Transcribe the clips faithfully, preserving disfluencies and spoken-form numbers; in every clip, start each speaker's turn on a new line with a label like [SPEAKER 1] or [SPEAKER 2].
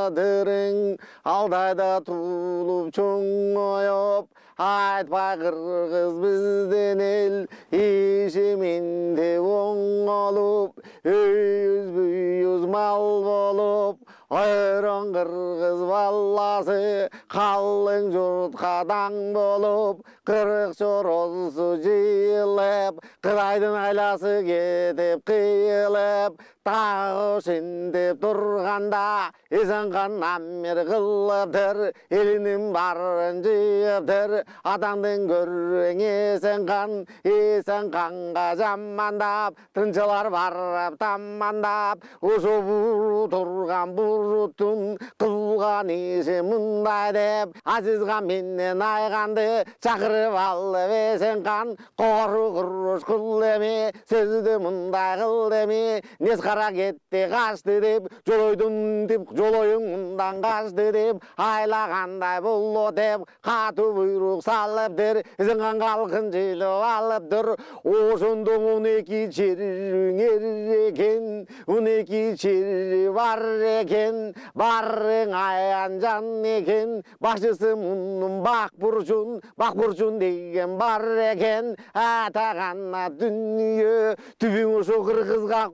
[SPEAKER 1] тадырың алдайда туулуп чоңоюп айтпай кыргыз бизден эл ишиминде оңолуп өйүз бүйүз мал болуп ойрон кыргыз баласы калың журтка таң болуп кырык чоросу жыйылып кыдайдын айласы кетип кыйылып тагы ошентип турганда эсенкан амир кылыптыр элинин баарын жыйыптыр атаңдын көрүң эсенкан эсенканга жамандап тынчылар барып тамандап ошо буру турган буруттун кылган иши мындай деп Азизхан менен Айганды чакырып алып эсенкан кору куруш кыл эми сөздү мындай кыл эми нес кара кетти качты деп жолойдун деп жолоюң мындан качты деп айлагандай болот деп катуу буйрук салыптыр эсенкан калкын жыйлып алыптыр ошондо он эки чериң экен он эки чери бар экен барың аян жан экен башчысы мунун бак бурчун бак бурчун деген бар экен атагана дүнүйө түбүң ошо кыргызга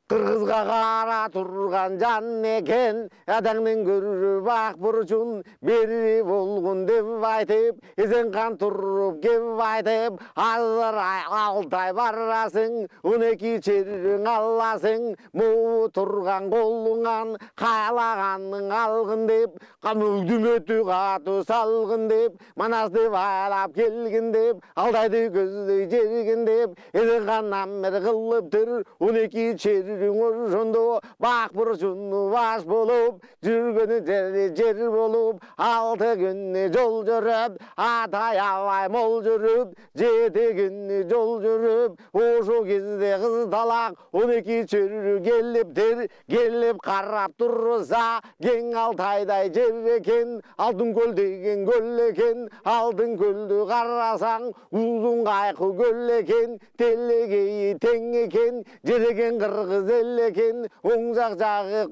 [SPEAKER 1] кыргызга кара турган жан экен атаңдын көрүп бак бурчун бери болгон деп айтып эсенкан туруп кеп айтып азыр алтай барасың он эки чериң аласың могу турган колуңан кайлаганың алгын деп дүмөтү катуу салгын деп манасты байлап келгин деп алдайды көздөй жергин деп эсенкан амир кылыптыр он эки чери ошондо бак бурчуну баш болуп жүргөнү жери жер болуп алты күнү жол жүрүп атай абай мол жүрүп жети күнү жол жүрүп ошол кезде кыз талак он эки чөрү келиптир келип карап турса кең Алтайдай жер экен алтын көл деген көл экен алтын көлдү карасаң узун кайкы көл экен телегейи тең экен жер экен кыргыз эл экен оң жак жагы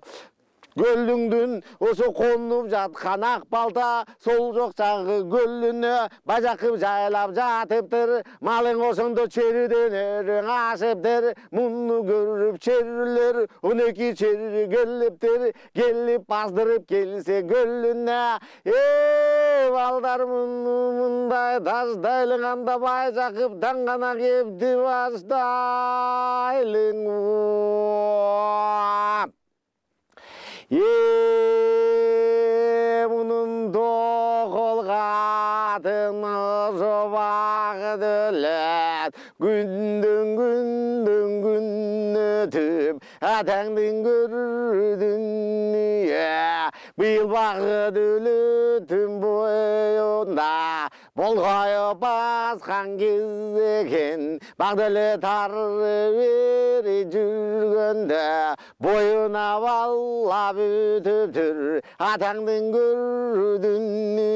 [SPEAKER 1] көлүңдүн ошо конуп жаткан ак балта сол жок жагы көлүнө бажакып жайлап жатыптыр малың ошондо чериден өрүң ашыптыр муну көрүп черилер он эки чери келиптир келип баздырып келсе көлүнө э балдар муну мындай таштайлыганда бажакып даңгана кепти баштайлың Е мунун токол катын ошо багыт өлөт күндөн күндөн күн өтүп атаңдын көрдүн быйыл багыт өлөтүн боюнда болгоюп баскан кез экен бак деле тары бери жүргөндө боюна баллап өтүптүр атаңдын көрдүнү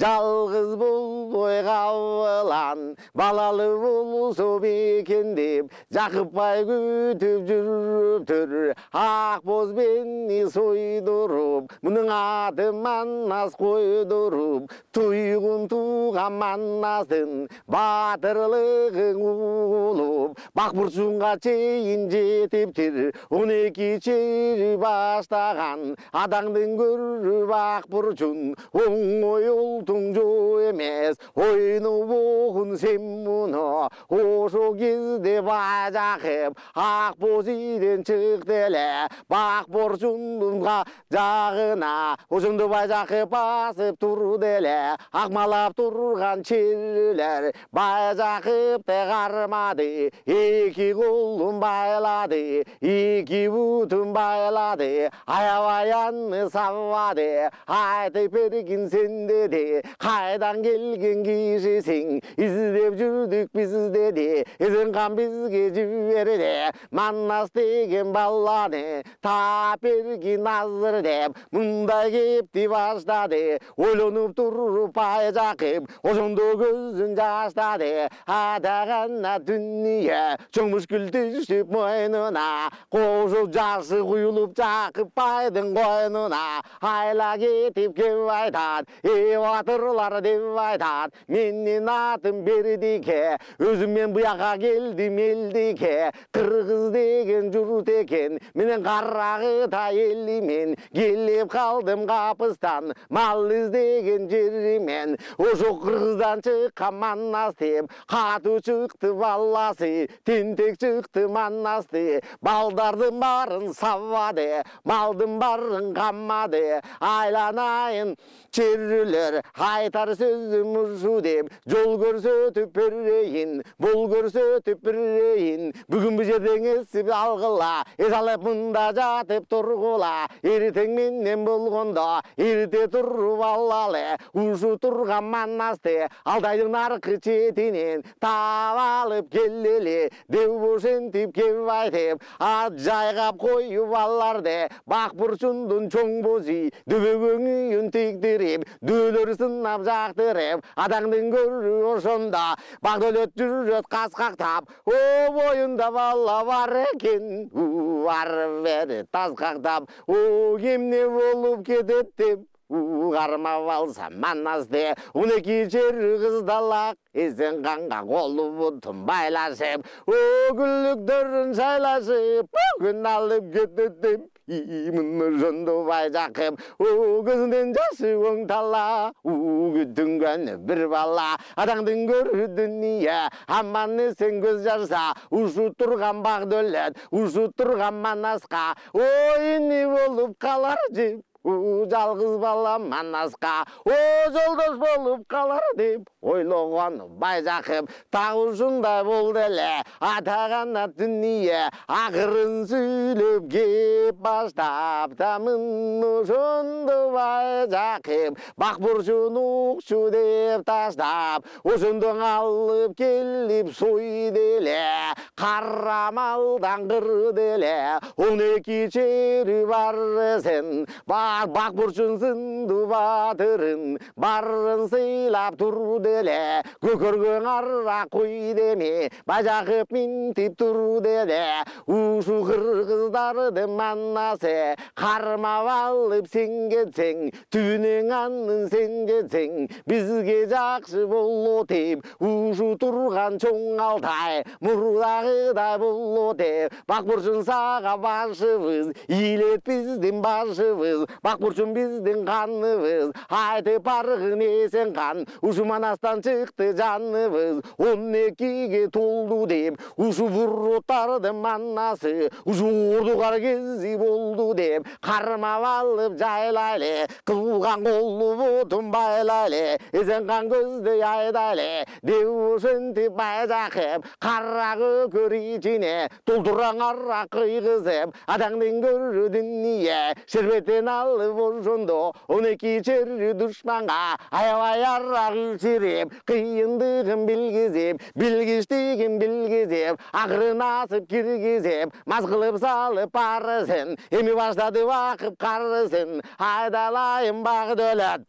[SPEAKER 1] жалгыз болбой кабылан балалы болсо бекен деп жакыпбай күтүп жүрүптүр ак боз мени сойдуруп мунун аты Манас койдуруп туйгун туган Манастын баатырлыгын улуп бак бурчунга чейин жетиптир он эки чери баштаган атаңдын көрүп бак бурчун оңой ултуң жоо эмес ойну богун сен муну ошол кезде бажакып ак боз ийден чыкты эле бак бурчундун жагына ошондо бажакып басып турду эле акмалап турган черилер бажакып те кармады эки колун байлады эки бутун байлады аябай аны сабады айтып бергин сен деди кайдан келген кишисиң издеп жүрдүк биз деди эсенкан бизге жиберди Манас деген баланы таап бергин азыр деп мындай кепти баштады ойлонуп туруп бажакып байжакып, ошондо көзүн жаштады. Атагана дүнүйө чоң мушкул түшүп мойнуна, кошо жашы куюлуп жакып байдын койнуна. Айла кетип кеп айтат, эй батырлар деп айтат, менин атым Бердике, өзүм мен буяка келдим элдике. Кыргыз деген журт экен, менен карагыта элимен, келип калдым капыстан, мал издеген жеримен. Ошо кыргыздан чыккан Манас деп, катуу чыкты баласы, тентек чыкты Манасты. Балдардын баарын сабады, малдын баарын каммады. Айланайын черлер, айтар сөзүм ушу деп, жол көрсөтүп берейин, бол көрсөтүп берейин. Бүгүн бу жерден эсип алгыла, эс алып мында жатып тургула. Эртең менен болгондо, эрте туруп алалы, ушу турган Манасты Алдайдын аркы четинен таап алып келели, деп ошентип кеп айтып, ат жайгап коюп аларды. Бак бурчундун чоң бозу, дөбөгөң үйүн тиктирип, дөөлөр сынап жактырып, атаңдын көрү ошондо. Бак дөөлөт жүрөт каскактап, о боюнда бала бар экен, ары бери таскактап, о эмне болуп кетет деп кармап алса Манасты. он эки жер кыздалак, эсен канга колу бутун байлашып, о гүлдүктөрүн шайлашып, бүгүн алып кетет деп имин ошондо байжакып. О көзүнөн жашы оңтала, күтүнгөн бир бала. Атаңдын көрү дүнүйө, аман эсен көз жарса, ушу турган бак дөөлөт, ушу турган Манаска, о эмне болуп калар деп жалгыз бала Манаска, о жолдош болуп калар деп ойлогон байжакып. Так ушундай болду эле атагана дүнүйө, акырын сүйлөп кеп баштаптамын ошондо байжакып. Бак бурчун укчу деп таштап, ошондо алып келип сойду эле, кара малдан кырды эле. он эки чери бар эсен, бак бурчун сынды батырын барын сыйлап турду эле. Көкөргөң ара койду эми, байжакып минтип турду эле. Ушу кыргыздардын Манасы кармап алып сен кетсең, түбүнөн анын сен кетсең, бизге жакшы болот деп. Ушу турган чоң Алтай мурдагыдай болот деп. Бак бурчун сага башыбыз, илет биздин башыбыз. Бак бурчун биздин каныбыз, айтып баргын эсен кан, ушу Манастан чыкты жаныбыз. он экиге толду деп, ушу буруттардын Манасы, ушу ордугар кези болду деп, кармап алып жайлайлы, кылган колу бутун байлайлы, эсен кан көздөй айдайлы, деп ошентип байжакып. Кара көкөр ичине толтураң ара кыйгызып, атаңдын көрү дүнүйө, шербеттен алып ошондо он эки чери душманга аябай ара кичирип, кыйындыгын билгизип, билгичтигин билгизип, акырын асып киргизип, мас кылып салып барысын, эми баштады бакып карысын. Айдалайын бак дөөлөт,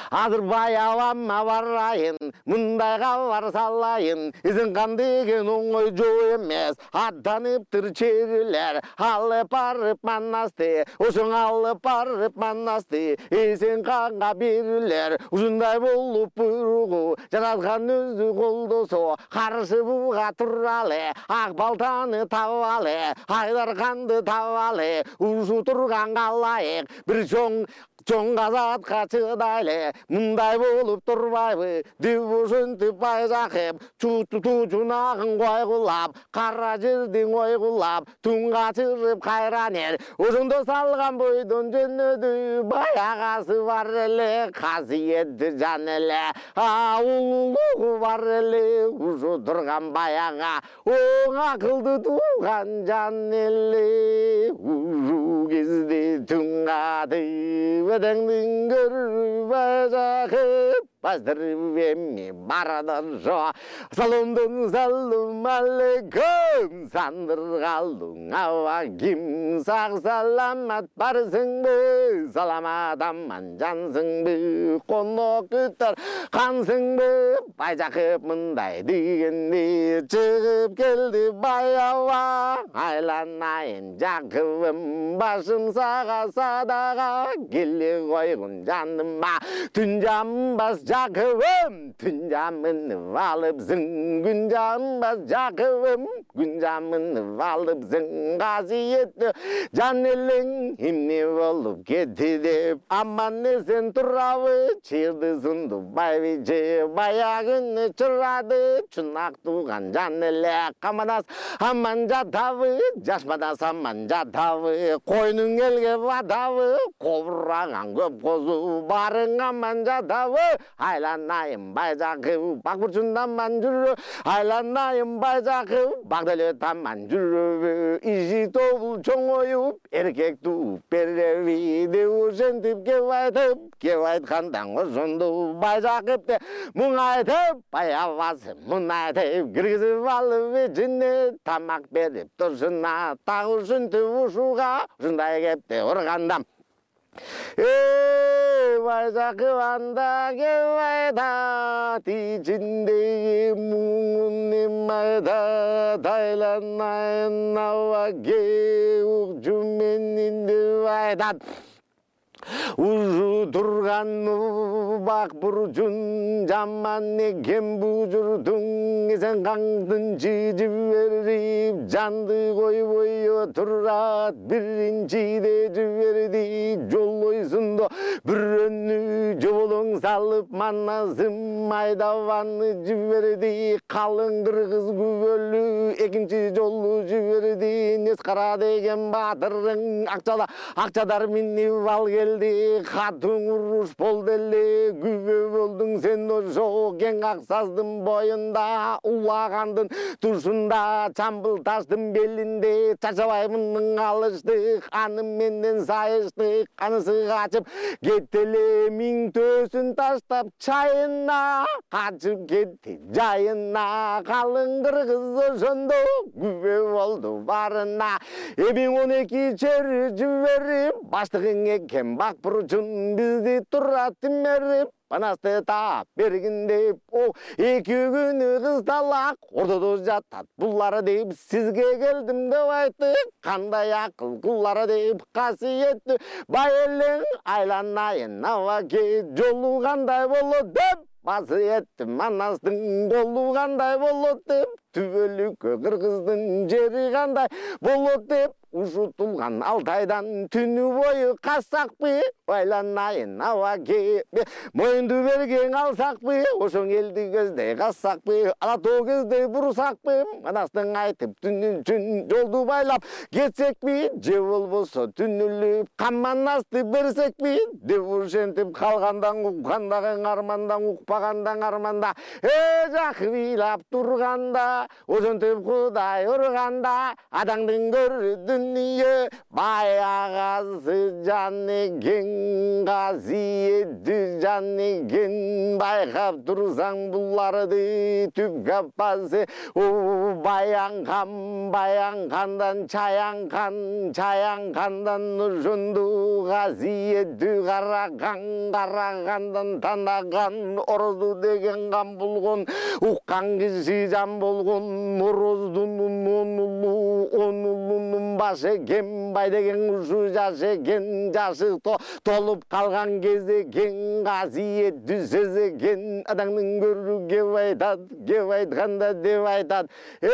[SPEAKER 1] азыр баябамма барайын, мындай кабар салайын. Эсен кан деген оңой жоо эмес, аттаныптыр черилер, алып барып Манасты, ошоң алып барып Манасты, эсен канга берилер. Ушундай болуп буйругу жараткан өзү колдосо, каршы буга туралы, ак балтаны табалы, айдар канды табалы. Ушу турганга ылайык бир чоң чоң казатка чыдайлы, мындай болуп турбайбы деп ошентип байжакып. Чучунагын койгулап, кара жердин ойгулап, тунга чырып кайран эр, ошондо салган бойдон жөнөдү. Баягасы бар эле, касиетти жан эле, а улуулугу бар эле, ушу турган баяга оң акылды тууган жан эле. Ушу кезде түн катып, атаңдын көрүп байжакып, бастырып эми барады жо. Саломдун салым алейкум, сандыргалдың аба ким, сак саламат барсыңбы, саламат аман жансыңбы, конок күтөр кансыңбы, Байжакып мындай дегенде чыгып келди баява, айланайын Жакыбым, башым сага садага, келе койгун жаныма, түн жамбас Жакыбым, түн жамынып алыпсың, күн жамбас Жакыбым, күн жамынып алыпсың, касиеттүү жан элең эмне болуп кетти деп, аман эсен турабы, чыйырды сунду байбиче, баягыны чырады, чунак тууган жан эле, каманас аман жатабы, жашпадас аман жатабы, койнуң элге батабы, кобураган көп козу, барың аман жатабы, айланайын Байжакып, бак бурчунда аман жүрү, айланайын Байжакып, бак деле таман жүрүбү, иши тобул чоңоюп, эркек тууп береби, деп ошентип кеп айтып, кеп айткандан ошондо Байжакыпты муңайтып, баябасы мунайтып, киргизип алып ичине, тамак берип туршуна, так ушинтип ушуга, ушундай кепти урганда. Эй, Байжакып анда кеп айтат, ичиндеги муңун эм айтат, айланайын абаке, укчу менин деп айтат. Ужу турган бак бурчун, жаман экен бужурдуң, сен каңдын чыжып берип, жанды койбой турат, биринчиде жиберди, жолойсундо бирөөнү жоболоң салып, манасым айдабаны жиберди, калың кыргыз күбөлү, экинчи жолу жиберди, Нескара деген баатырың, акчала акчадар минип ал келди, катың уруш болду эле, күбө болдуң сен ошо кең ак саздын боюнда, улагандын тушунда, чамбыл таштын белинде, чачабаймындын алыштык, аны менден сайыштык, анысы качып кетти эле, миң төсүн таштап чайына, качып кетти жайына, калың кыргыз ошондо күбө болду барына, эми он эки чөйрө жиберип, баштыгың экен бак бурчун, бизди турат тимерип, панасты таап бергин деп, о эки күнү кыздалак ордодо жатат булар деп, сизге келдим деп айтты, кандай акыл кулар деп, касиеттүү бай элең, айланайын абаке, жолу кандай болот деп, басы еттим манастын колу кандай болот деп, түбөлүккө кыргыздын жери кандай болот деп, ушутулган Алтайдан түнү бою кассакпы, айланайын абаке, моюнду берген алсакпы, ошоң элди көздөй кассакпы, ала тоо көздөй бурсакпы, манастың айтып түнү үчүн жолду байлап кетсекпи, же болбосо түнүлүп каманасты берсекпи, деп ушентип калгандан уккандагы армандан, укпагандан арманда, э Жакып ыйлап турганда, ошентип Кудай урганда, адаңдын көрдүн дүние, баягасы жан экен, касиеттүү жан экен, байкап турсаң буларды түп каппасы, о баянган, баянгандан чаянкан, чаянкандан ошондо касиеттүү караган, карагандан танаган, орозу деген кан болгон, уккан киши жан болгон, ороздун он улу, он улунун башы экен, бай деген ушу жаш экен, жашы толуп калган кез экен, касиеттүү сөз экен, адаңдын көрү кеп айтат, кеп айтканда деп айтат, э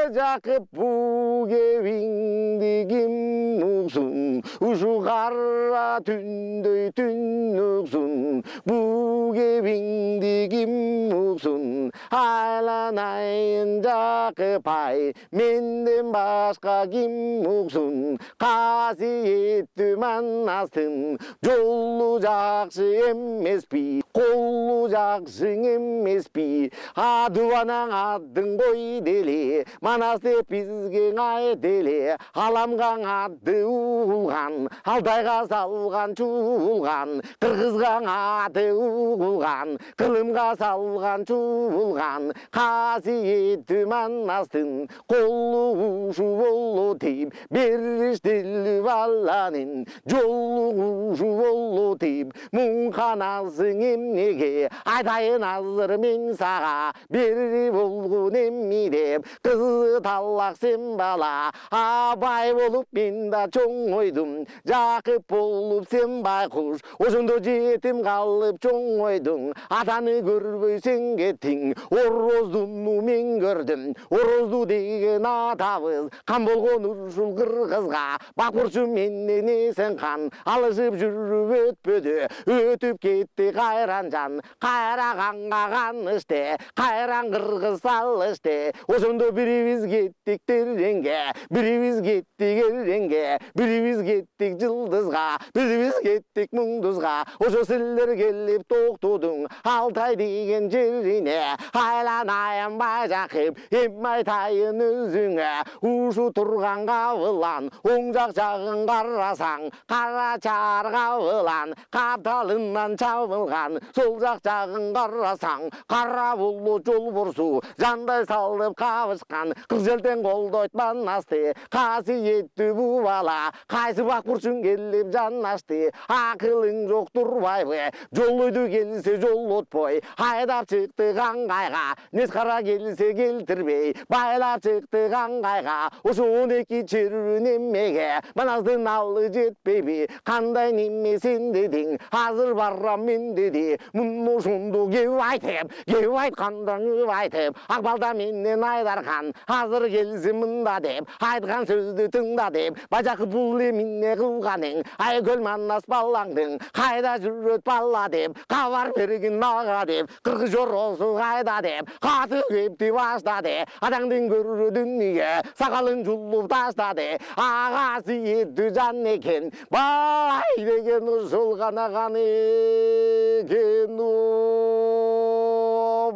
[SPEAKER 1] Жакып бу кебиңди ким уксун, ушу кара түндөй түн уксун, бу кебиңди ким уксун, айланайын Жакып ай, менден башка ким уксун, касиеттүү манастын жолу жакшы эмеспи, колу жакшы эмеспи, адыбанаң аттың кой деле, манас деп бизге айт эле, аламгаң атты угулган, Алтайга салган чуулган, кыргызга аты угулган, кылымга салган чуулган, касиеттүү Манастын колу ушу болу тип, бериштил баланын жолу ушу болу тип, муңканасың эмнеге, айтайын азыр мен сага, бери болгун эмми деп, кызы талак сен бала, абай болуп мен да чоңойдум, Жакып болуп сен байкуш, ошондо жетим калып чоңойдуң, атаны көрбөй сен кеттиң, ороздуну мен көрдүм, орозду деген атабыз, кан болгон ушул кыргызга, бакурчу менен эсен кан, алышып жүрүп өтпөдү, өтүп кетти кайран жан, кайра канга канышты, кайран кыргыз салышты, ошондо бирибиз кеттик тереңге, бирибиз кеттик эреңге, бирибиз кеттик жылдызга, бирибиз кеттик муңдузга, ошо силер келип токтодуң, Алтай деген жерине, айланайын Байжакып, эми айтайын өзүңө, ушу турган кабылан, оң жак жагын карасаң, кара чаар кабылан, капталынан чабылган, сол жак жагын карасаң, кара булут жолборсу, жандай салып кабышкан, кыз желтең колдойт Манасты, касиеттүү бу бала, кайсы бакурчуң келип жанашты, акылың жок турбайбы, жолойду келсе жолотпой, айдап чыкты каңгайга, нескара келсе келтирбей, байлап чыкты каңгайга, ошо он эки чөрүн эммеге, Манастын алы жетпейби, кандай неме сен дедиң, азыр барам мен деди, муну ошондо кеп айтып, кеп айтканда кеп айтып, Акбалда менен Айдархан, азыр келсе мында деп, айткан сөздү тыңда деп, Байжакып бул эмне кылганың, Айкөл Манас балаңдың, кайда жүрөт бала деп, кабар бергин ага деп, кыргыз жоросу кайда деп, каты кепти баштады, атаңдын көрүрү дүнүйө, сакалын жулуп таштады, агасы еттүү жан экен, бай деген ушул гана ганы экен.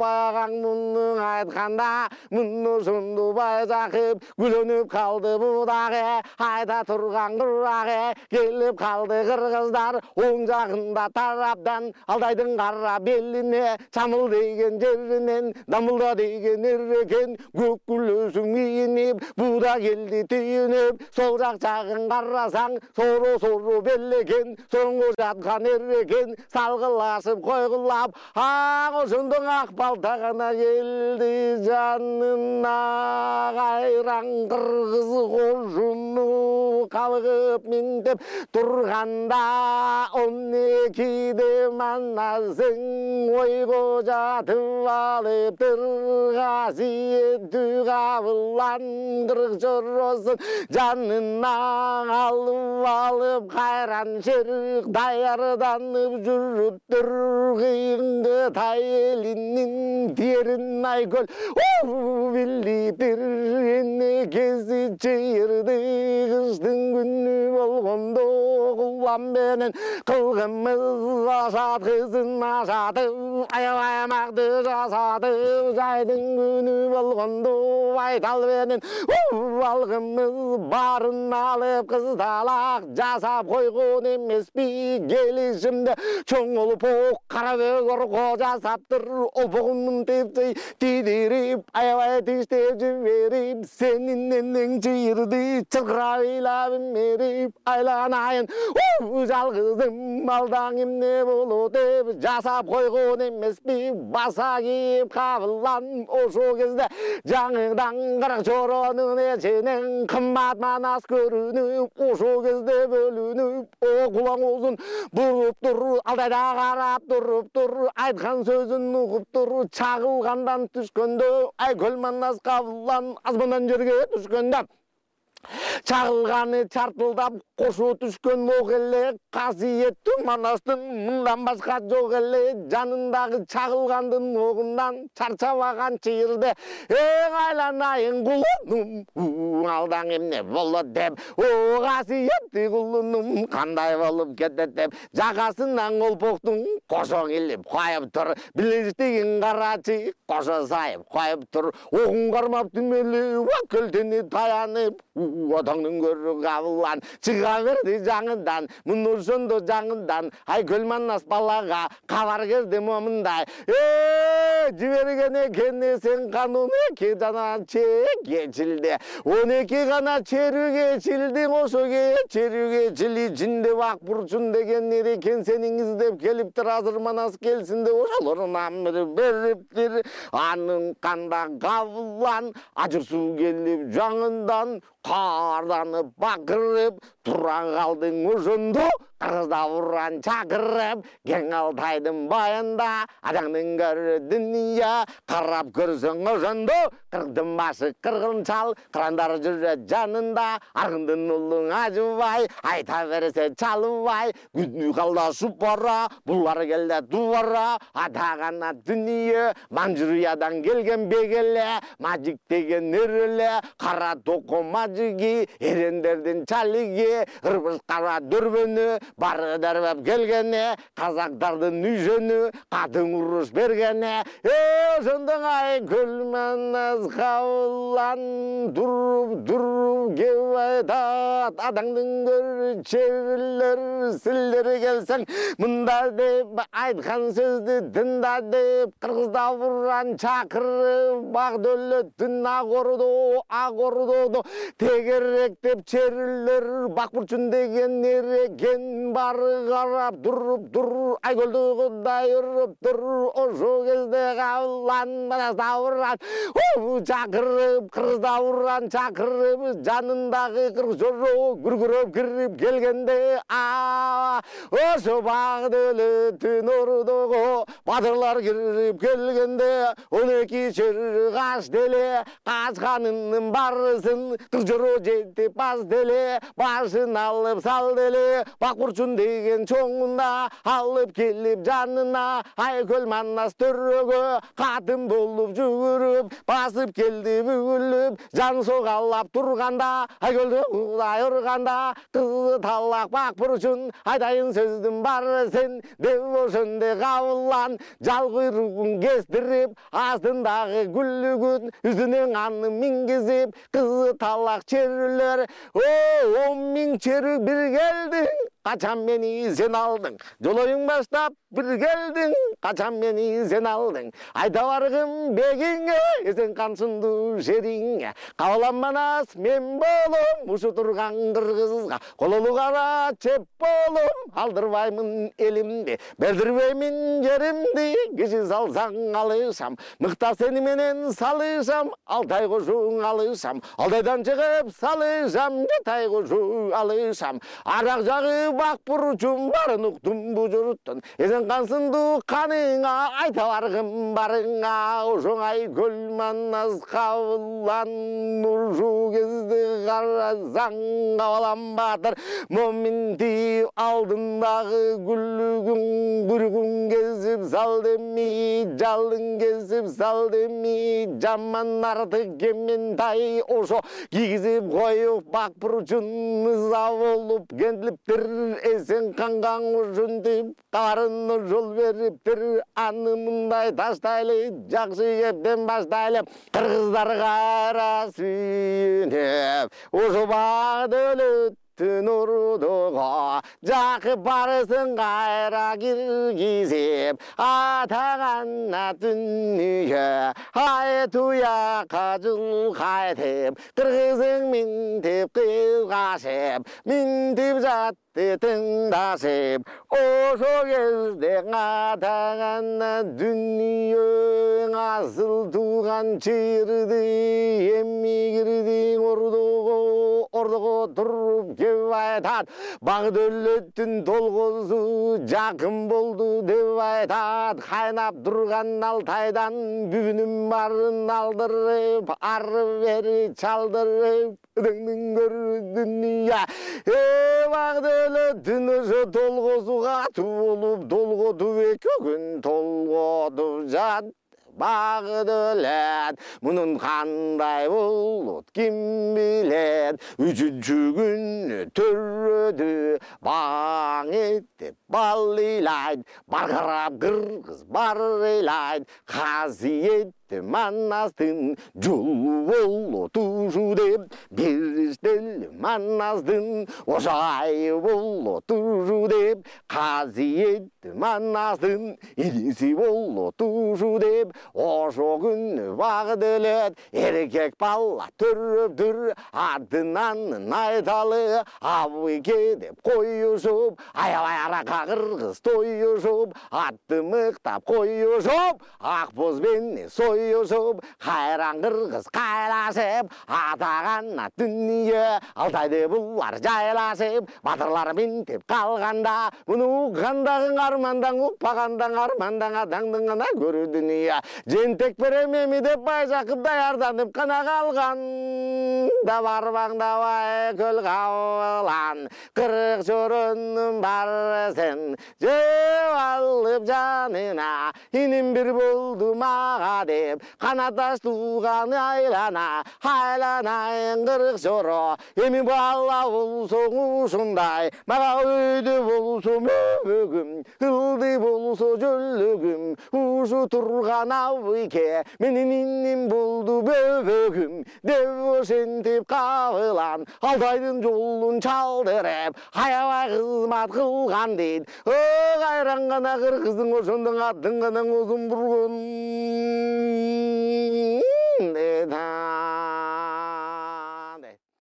[SPEAKER 1] Баягаң муну айтканда, муну ошондо Байжакып күлөнүп калды бу дагы, айта турган курагы, келип калды кыргыздар, оң жагында тараптан, Алтайдын кара белине, Чамыл деген жеринен, Дамылда деген эрекен, көк күлөсүң кийинип, буда келди түйүнүп, сол жак жагын карасаң, соро-соро белекен, соңго жаткан эрекен, салгылашып койгулап, аң ошондо Акбалда гана келди жанына, кайран кыргыз кошуну кабыгып минтеп турганда, он экиде Манасың ойго жатып алыптыр, касиеттүү кабылан кыргыз жоросун жанына алып алып, кайран шерик даярданып жүрүптүр, кыйынкы тай элинин терин Айкөл билиптир, энекеси чыйырды кыштын күнү болгондо, кулам менен кылгымыз ашат, кызын ашатып, аябай макты жасатып, жайдын күнү болгондо, Байтал менен алгымыз барын алып, кыздалак жасап койгон эмеспи, келишимде чоң олпок кара бөгөр кожа жасаптыр, олпогунун тепчей тидирип, аябай тиштеп жиберип, сенин энең чыйырды чыркырап ыйлап мерип, айланайын жалгызым, алдаң эмне болот деп жасап койгон эмеспи, баса кийип кабылан, ошол кезде жаңыдан кырк жоронун эчинен кымбат Манас көрүнүп, ошол кезде бөлүнүп, о кулаң озун буруп тур, Алтайда карап туруптур, айткан сөзүн угуптур, чагылгандан түшкөндө, Айкөл Манас кабылан азмандан жерге түшкөндө, чагылганы чартылдап кошо түшкөн ок эле, касиеттүү Манастын мындан башка жок эле, жанындагы чагылгандын огундан чарчабаган чыйырды, эң айланайын кулунум, алдаң эмне болот деп, о касиеттүү кулунум кандай болуп кетет деп, жакасынан олпоктун кошо килип коюп тур, билештигин карачы кошо сайып коюп тур, огун кармап түмөлүп, көлтени таянып, Отоңдун көрү кабылан чыга берди жаңыдан муну ошондо жаңыдан ай көл манас балага кабар келди момундай э жиберген экен сен канун эки жана чечилди он эки гана черүү кечилдиң ошо черүү кечили жинде бак бурчун деген эрекен сени издеп келиптир азыр манас келсин деп ошолордун амыры бериптир анын канда кабылан ажыр суу келип жаңындан каарданып бакырып тура калдың ошондо кыргызда буран чакырып кең Алтайдын байында адамдын көрү дүйнө карап көрсөң ошондо кырдын башы кыргынчал кырандар жүрөт жанында аргындын улуң ажыбай айта берсе чалыбай күнү калдашып бара булар келде дубара атагана дүйнө Манжуриядан келген бегеле мажик деген эреле кара токо мажиги эрендердин чалиги ырбыз кара дөрбөнү бары дарбап келгене казактардын үйжөнү катын уруш бергене э ошондон ай көл манас кабылан туруп туруп кеп айтат адаңдын көрү чебирлер силдер келсең мында деп айткан сөздү тында деп кыргызда буран чакырып бак дөлөттүн ак ордо ак ордодо тегеректеп черилер бак бурчун деген эрекен бары карап туруп тур айкөлдү кудай уруп тур ошо кезде кабылан манасда буран чакырып кыргызда буран чакырып жанындагы кыргыз жоро күркүрөп кирип келгенде а ошо бак дөлөттүн ордого бадырлар кирип келгенде он эки чер каш деле качканынын барысын кыз жоро жетип баз деле башын алып сал деле бак бурчун деген чоңуна алып келип жанына айкөл манас төрөгө катын болуп жүгүрүп басып келди бүгүлүп жан согалап турганда айкөлдү кудай урганда кызы талак бак бурчун айтайын сөздүн барысын деп ошондой кабылан жал куйругун кестирип астындагы гүлүгүн үстүнөн аны мингизип кызы талак черилер о он миң черүү бир келдиң качан мени сен алдың жолоюң баштап бир келдиң качан мени сен алдың айта баргым бегиңе эсен кансындуу шериңе кабылан манас мен болом ушу турган кыргызга кололу кара чеп болом алдырбаймын элимди бердирбеймин жеримди киши салсаң алышам мыкта сени менен салышам Алтай кошуң алышам Алтайдан чыгып салышам Жатай кошуң алышам арак жагы бак бурчум барын уктум бу журттун эсен кансындуу каныңа айта баргым барыңа ошоңай көл манас кабылан ушу кезде карасаң кабылан баатыр моминти алдындагы гүлүгүң бүргүң кесип сал деми жалын кесип сал деми жаман артык кементай ошо кийгизип коюп бак бурчун мыза болуп келиптир эсен канган ушинтип кабарын жол бериптир аны мындай таштайлы жакшы кептен баштайлы кыргыздарга ара сүйүнүп ошо бак дөлөт ордого жакып барысын кайра киргизип атагана дүйнө ай туякка жыл кайтып кыргызың минтип кызгашып минтип жатты тыңдашып ошо кезде атагана дүйнө асыл тууган чырды эми кирдиң ордого ордого туруп кеп айтат бак дөлөттүн толгосу жакын болду деп айтат кайнап турган Алтайдан бүгүнүм барын алдырып ары бери чалдырып өдөңдүн көрү дүйнө э бак дөлөттүн ошо толгосуга болуп толготуп эки күн толготуп жат бак дөлөт мунун кандай болот ким билет үчүнчү күнү төрөдү баң этип бал ыйлайт баркырап кыргыз бар ыйлайт казый етті маннастың жол болу тушу деп, беріштел маннастың ожайы болу тушу деп, қасиетті маннастың иесі болу тушу деп, ошо күн бағдылет еркек бала түріп-түр артынан айталы абыке деп қойышып, аябай арақа қырғыз тойышып, атты мықтап қойышып, ақбозбен сойышып, қайран қырғыз қайлашып, атағанна дүние алтайды бұлар жайлашып, батырлар бентеп қалғанда, бұны ұққандағың армандаң, ұқпағандаң армандаң, адаңдың ғана көрі дүние. Жентек беремеми деп бай жақып даярданып қана қалған, да барбаңда бай көл қауылан, қырық жорынның барсын, жеп алып жанына, инім бір болды маға деп, қанаташ туған айлана, айланайын қырық жоро, емі бала болсоң ушындай, маға өйді болсо мөбөгім, қылды болсо жөлігім, ушу тұрған абыке, менің инім болды бөбөгім, деп ошентип қабылан, Алтайдың жолын чалдырып, аябай қызмат қылған дейд. О, қайран ғана қырғыздың ошондың аттың ғана ұзын бұрғын.